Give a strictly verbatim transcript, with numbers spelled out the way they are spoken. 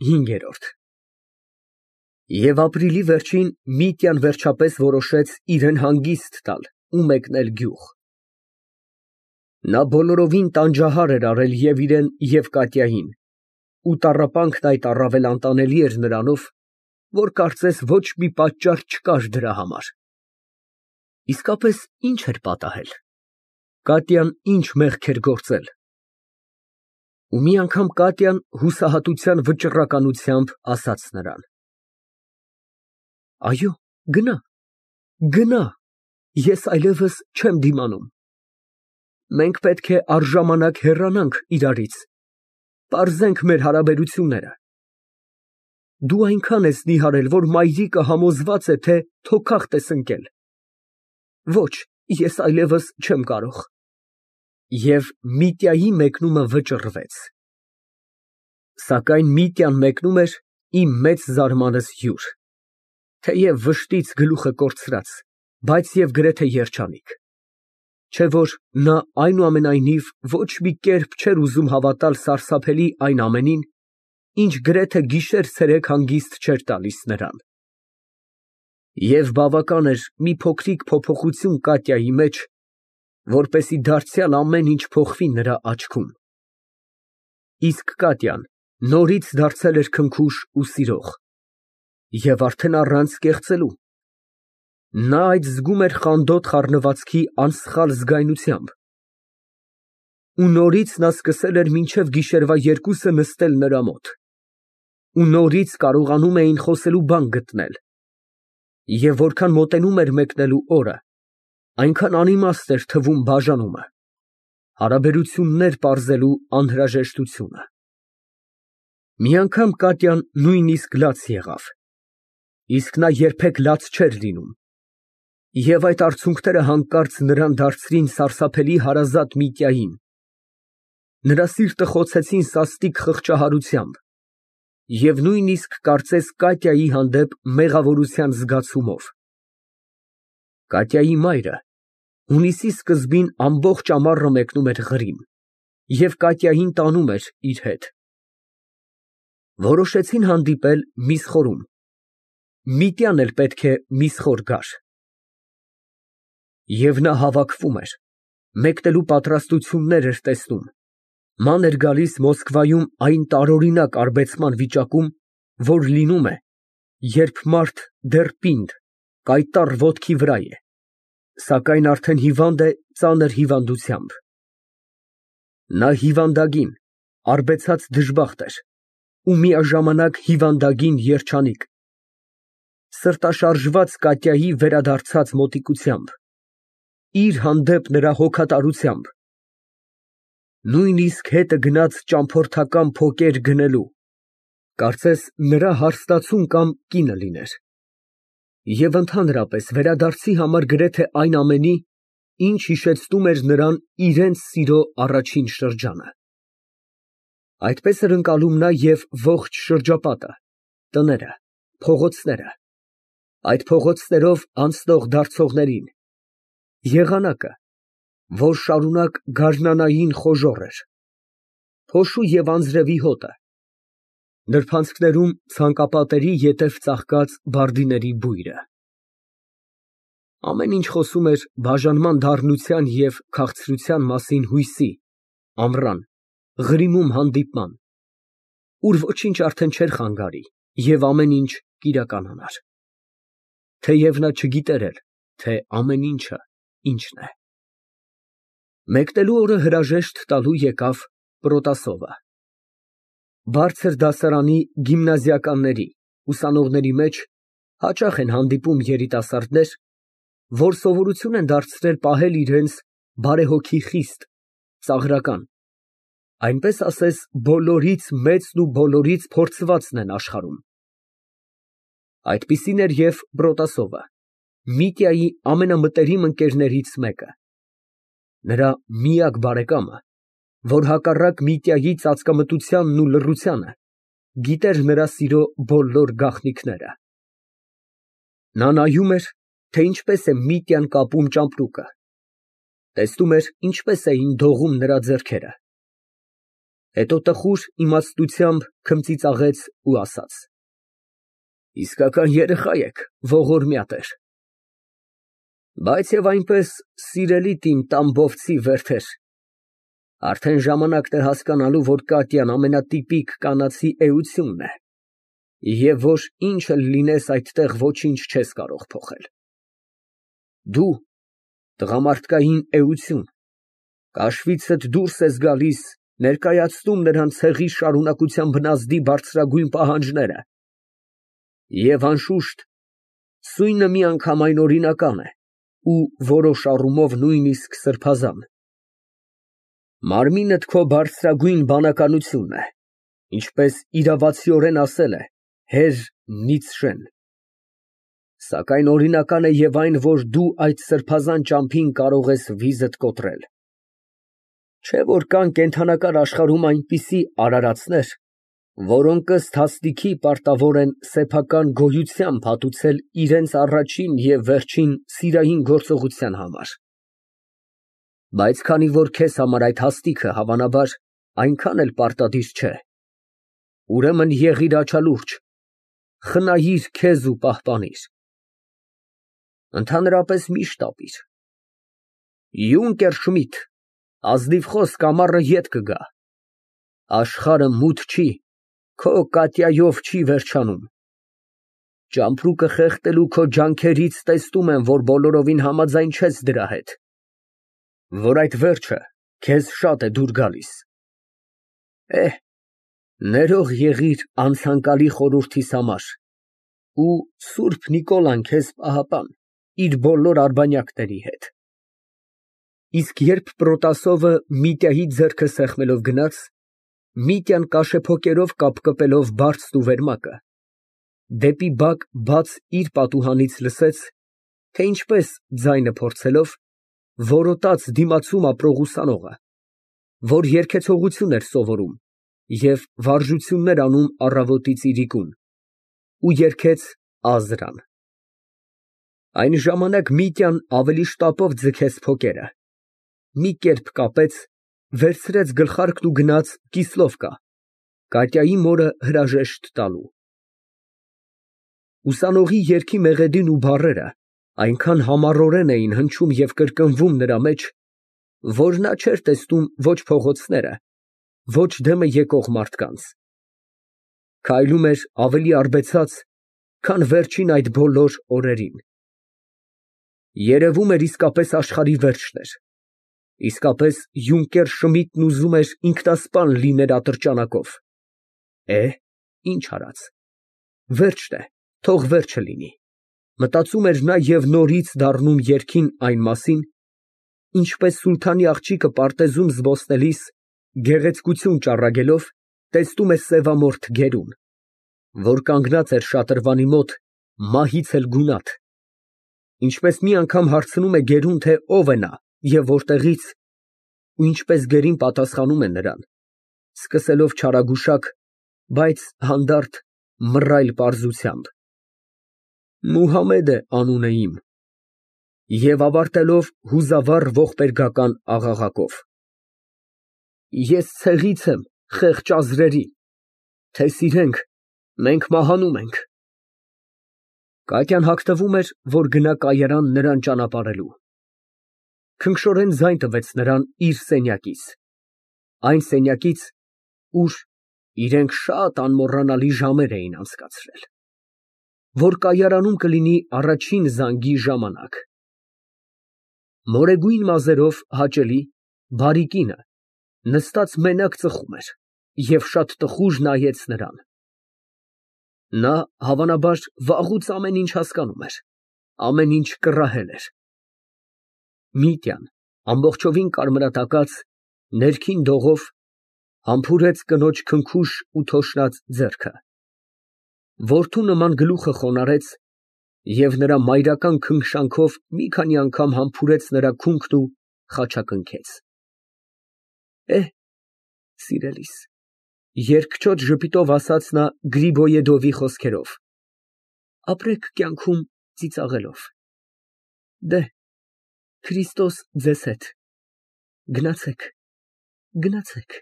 ՀԻՆԳԵՐՈՐԴ Եվ ապրիլի վերջին Միտյան վերջապես որոշեց իրան հանգիստ տալ ու մեկնել գյուղ. նա բոլորովին տանջահար էր արել և իրան և Կատյային, ու տառապանքն այդ առավել անտանելի էր նրանով, որ կարծես ոչ մի պատճառ չկար դրա համար։ Իսկապես ի՞նչ էր պատահել, Կատյան ի՞նչ մեղք էր գործել։ Ու մի անգամ Կատյան հուսահատության վճռականությամբ ասաց նրան. «Այո, գնա, գնա, ես այլևս չեմ դիմանում։ Մենք պետք է առժամանակ հեռանանք իրարից, պարզենք մեր հարաբերությունները։ Դու այնքան ես նիհարել, որ մայրիկը համոզված է, թե թոքախտ ես ընկել։ Ոչ, ես այլևս չեմ կարող»։ Եվ Միտյայի մեկնումը վճռվեց։ Սակայն Միտյան մեկնում էր իմ մեծ զարմանս հյուր, թեև վշտից գլուխը կորցրած, բայց և գրեթե երջանիկ, չէ՞ որ նա այնուամենայնիվ ոչ մի կերպ չէր ուզում հավատալ սարսափելի այն ամենին, ինչ գրեթե գիշեր֊ցերեկ հանգիստ չէր տալիս նրան։ Եվ բավական էր մի փոքրիկ փոփոխություն Կատյայի մեջ, որպեսզի դարձյալ ամեն ինչ փոխվի նրա աչքում։ Իսկ Կատյան նորից դարձել էր քնքուշ ու սիրող, և արդեն առանց կեղծելու։ Նա այդ զգում էր խանդոտ խառնվածքի անսխալ զգայնությամբ։ Ու նորից նա սկսել էր մինչև գիշերվա երկուսը նստել նրա մոտ, ու նորից կարողանում էին խոսելու բան գտնել, և որքան մոտենում էր մեկնելու օրը, այնքան անիմաստ էր թվում բաժանումը, հարաբերություններ պարզելու անհրաժեշտությունը։ Մի անգամ Կատյան նույնիսկ լաց եղավ, իսկ նա երբեք լաց չէր լինում, և այդ արցունքները հանկարծ նրան դարձրին սարսափելի հարազատ Միտյային, նրա սիրտը խոցեցին սաստիկ խղճահարությամբ և նույնիսկ կարծես Կատյայի հանդեպ մեղավորության զգացումով։ Կատյայի մայրը հունիսի սկզբին ամբողջ ամառը մեկնում էր Ղրիմ և Կատյային տանում էր իր հետ։ Որոշեցին հանդիպել միսխորում, Միտյան էլ պետք է միսխոր գար։ Եվ նա հավաքվում էր, մեկնելու պատրաստություններ էր տեսնում, ման էր գալիս Մոսկվայում այն տարօրինակ արբեցման վիճակում, որ լինում է, երբ մարդ դեռ պինդ, կայտառ ոտքի վրա է, սակայն արդեն հիվանդ է ծանր հիվանդությամբ։ Նա հիվանդագին, արբեցած դժբախտ էր ու միաժամանակ հիվանդագին երջանիկ, սրտաշարժված Կատյայի վերադարձած մոտիկությամբ, իր հանդեպ նրա հոգատարությամբ, նույնիսկ հետը գնաց ճամփորդական փոկեր գնելու, կարծես նրա հարստացուն կամ կինը լիներ, և ընդհանրապես վերադարձի համար գրեթե այն ամենի, ինչ հիշեցնում էր նրան իրենց սիրո առաջին շրջանը։ Այդպես էր ընկալում նա և ողջ շրջապատը, տները, փողոցները, այդ փողոցներով անցնող֊դարձողներին, եղանակը, որ շարունակ գարնանային խոժոռ էր, փոշու և անձրևի հոտը, նրբանցքներում ցանկապատերի ետև ծաղկած բարդիների բույրը։ Ամեն ինչ խոսում էր բաժանման դառնության և քաղցրության մասին հույսի, ամռան, Ղրիմում հանդիպման, ուր ոչինչ արդեն չէր խանգարի և ամեն ինչ կիրականանար, թեև նա չգիտեր էլ, թե ամեն ինչը ինչն է։ Մեկնելու օրը հրաժեշտ տալու եկավ Պրոտասովը։ Բարձր դասարանի գիմնազիականների, ուսանողների մեջ հաճախ են հանդիպում երիտասարդներ, որ սովորություն են դարձրել պահել իրենց բարեհոգի խիստ, ծաղրական, այնպես ասես բոլորից մեծն ու բոլորից փորձվածն են աշխարհում։ Այդպիսին էր և Պրոտասովը, Միտյայի ամենամտերիմ ընկերներից մեկը, նրա միակ բարեկամը, որ հակառակ Միտյայի ծածկամտությանն ու լռությանը, գիտեր նրա սիրո բոլոր գաղտնիքները։ Նա նայում էր, թե ինչպես է Միտյան կապում ճամպրուկը, տեսնում էր, ինչպես էին դողում նրա ձեռքերը, Հետո տխուր իմաստությամբ քմծիծաղեց ու ասաց. Իսկական երեխա եք, ողորմյա տեր, բայց և այնպես սիրելիդ իմ տամբովցի վերթեր, արդեն ժամանակն է հասկանալու, որ Կատյան ամենատիպիկ կանացի էությունն է, և որ ինչ էլ լինես այդտեղ ոչինչ չես կարող փոխել։ Դու տղամարդկային էություն, կաշվիցդ դուրս ես գալիս, ներկայացնում նրան ցեղի շարունակության բնազդի բարձրագույն պահանջները, և անշուշտ, սույնը միանգամայն օրինական է ու որոշ առումով նույնիսկ սրբազան։ Մարմինդ քո բարձրագույն բանականությունն է, ինչպես իրավացիորեն ասել է հեր Նիցշեն, սակայն օրինական է և այն, որ դու այդ սրբազան ճամփին կարող ես վիզդ կոտրել։ Չէ՞ որ կան կենդանական աշխարհում այնպիսի արարածներ, որոնք ըստ հաստիքի պարտավոր են սեփական գոյությամբ հատուցել իրենց առաջին և վերջին սիրային գործողության համար։ Բայց քանի որ քեզ համար այդ հաստիքը, հավանաբար, այնքան էլ պարտադիր չէ, ուրեմն եղիր աչալուրջ, խնայիր քեզ ու պահպանիր։ Ընդհանրապես մի շտապիր։ Յունկեր Շմիդ, ազնիվ խոսք ամառը ետ կգա, աշխարհը մութ չի, քո Կատյայով չի վերջանում։ Ճամպրուկը խեղդելու քո ջանքերից տեսնում եմ, որ բոլորովին համաձայն չես դրա հետ, որ այդ վերջը քեզ շատ է դուր գալիս։ Էհ, ներող եղիր անցանկալի խորհրդիս համար ու Սուրբ Նիկոլան քեզ պահապան իր բոլոր արբանյակների հետ։ Իսկ երբ Պրոտասովը Միտյայի ձեռքը սեղմելով գնաց, Միտյան կաշեփոկերով կապկպելով բարձն ու վերմակը, դեպի բակ բաց իր պատուհանից լսեց, թե ինչպես ձայնը փորձելով, որոտաց դիմացում ապրող ուսանողը, որ երգեցողություն էր սովորում և վարժություններ անում առավոտից իրիկուն, ու երգեց Ազրան։ Այն ժամանակ Միտյան ավելի շտապով ձգեց փոկերը, մի կերպ կապեց, վերցրեց գլխարկն ու գնաց Կիսլովկա, Կատյայի մորը հրաժեշտ տալու։ Ուսանողի երգի մեղեդին ու բառերը այնքան համառորեն էին հնչում և կրկնվում նրա մեջ, որ նա չէր տեսնում ոչ փողոցները, ոչ դեմը եկող մարդկանց, քայլում էր ավելի արբեցած, քան վերջին այդ բոլոր օրերին։ Երևում էր իսկապես աշխարհի վերջն էր, իսկապես Յունկեր Շմիդն ուզում էր ինքնասպան լիներ ատրճանակով։ Է, ինչ արած, վերջն է, թող վերջը լինի, մտածում էր նա և նորից դառնում երգին այն մասին, ինչպես սուլթանի աղջիկը պարտեզում զբոսնելիս, գեղեցկություն ճառագելով, տեսնում է սևամորթ գերուն, որ կանգնած էր շատրվանի մոտ, մահից էլ գունատ, ինչպես մի անգամ հարցնում է գերուն, թե ով է նա և որտեղից, ու ինչպես գերին պատասխանում է նրան, սկսելով չարագուշակ, բայց հանդարտ մռայլ պարզությամբ. Մուհամմեդ է անունը իմ, և ավարտելով հուզավառ ողբերգական աղաղակով. Ես ցեղից եմ խեղճ ազրերի, թե սիրենք, մենք մահանում ենք։ Կատյան հագնվում էր, որ գնա կայարան նրան ճանապարհելու։ Քնքշորեն ձայն տվեց նրան իր սենյակից, այն սենյակից, ուր իրենք շատ անմոռանալի ժամեր էին անցկացրել, որ կայարանում կլինի առաջին զանգի ժամանակ։ Մորեգույն մազերով հաճելի, բարի կինը նստած մենակ ծխում էր և շատ տխուր նայեց նրան։ Նա, հավանաբար, վաղուց ամեն ինչ հասկանում էր, ամեն ինչ կռահել էր։ Միտյան, ամբողջովին կարմրատակած, ներքին դողով, համբուրեց կնոջ քնքուշ ու թոշնած ձեռքը, որդու նման գլուխը խոնարհեց և նրա մայրական քնքշանքով մի քանի անգամ համբուրեց նրա քունքն ու խաչակնքեց։ Էհ, սիրելիս, երկչոտ ժպիտով ասաց նա Գրիբոյեդովի խոսքերով, ապրեք կյանքում ծիծաղելով։ Դեհ, Քրիստոս ձեզ հետ, գնացեք, գնացեք։